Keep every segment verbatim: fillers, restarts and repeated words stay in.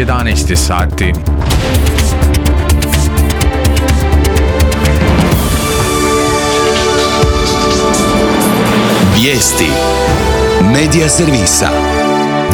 jedanaest sati. Vijesti Medija servisa.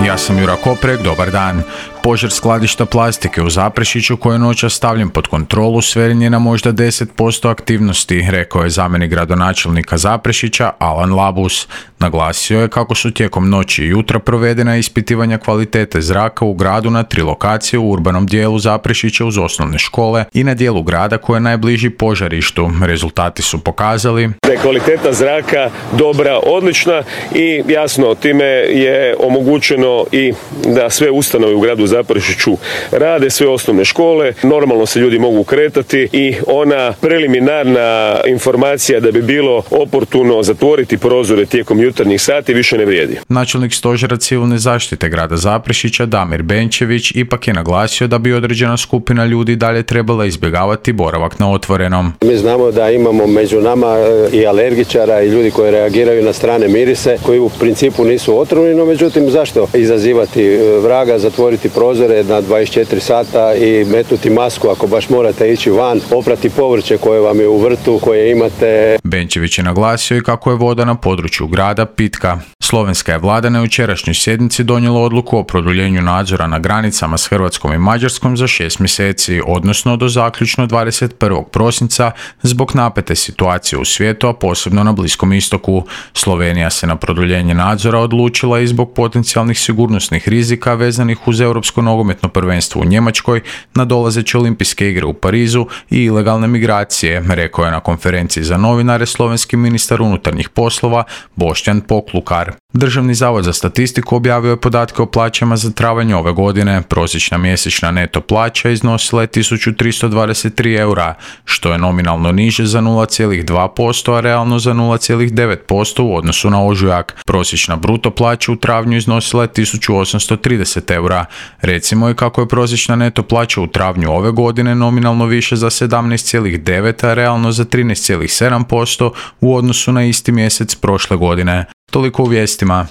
Ja sam Jura Koprek, dobar dan. Požar skladišta plastike u Zaprešiću koji je noćas stavljen pod kontrolu sveden je na možda deset posto aktivnosti, rekao je zamjenik gradonačelnika Zaprešića Alan Labus. Naglasio je kako su tijekom noći i jutra provedena ispitivanja kvalitete zraka u gradu na tri lokacije u urbanom dijelu Zaprešića uz osnovne škole i na dijelu grada koji je najbliži požarištu. Rezultati su pokazali da je kvaliteta zraka dobra, odlična i jasno time je omogućeno i da sve ustanove u gradu Zaprešiću rade, sve osnovne škole, normalno se ljudi mogu kretati i ona preliminarna informacija da bi bilo oportuno zatvoriti prozore tijekom jutarnjih sati više ne vrijedi. Načelnik stožera civilne zaštite grada Zaprešića Damir Benčević ipak je naglasio da bi određena skupina ljudi dalje trebala izbjegavati boravak na otvorenom. Mi znamo da imamo među nama i alergičara i ljudi koji reagiraju na strane mirise koji u principu nisu otrovni, no međutim zašto izazivati vraga, zatvoriti prozore na dvadeset četiri sata i metnuti masku ako baš morate ići van, oprati povrće koje vam je u vrtu, koje imate. Benčević je naglasio i kako je voda na području grada pitka. Slovenska je vlada na jučerašnjoj sjednici donijela odluku o produljenju nadzora na granicama s Hrvatskom i Mađarskom za šest mjeseci, odnosno do zaključno dvadeset prvog prosinca zbog napete situacije u svijetu, a posebno na Bliskom istoku. Slovenija se na produljenje nadzora odlučila i zbog potencijalnih sigurnosnih rizika vezanih uz Europsko nogometno prvenstvo u Njemačkoj, nadolazeće olimpijske igre u Parizu i ilegalne migracije, rekao je na konferenciji za novinare slovenski ministar unutarnjih poslova Boštjan Poklukar. Državni zavod za statistiku objavio je podatke o plaćama za travanj ove godine. Prosječna mjesečna neto plaća iznosila je tisuću tristo dvadeset tri eura, što je nominalno niže za nula zarez dva posto, a realno za nula zarez devet posto u odnosu na ožujak. Prosječna bruto plaća u travnju iznosila je tisuću osamsto trideset eura. Recimo je kako je prosječna neto plaća u travnju ove godine nominalno više za sedamnaest zarez devet, a realno za trinaest zarez sedam posto u odnosu na isti mjesec prošle godine. Toliko u vijestima.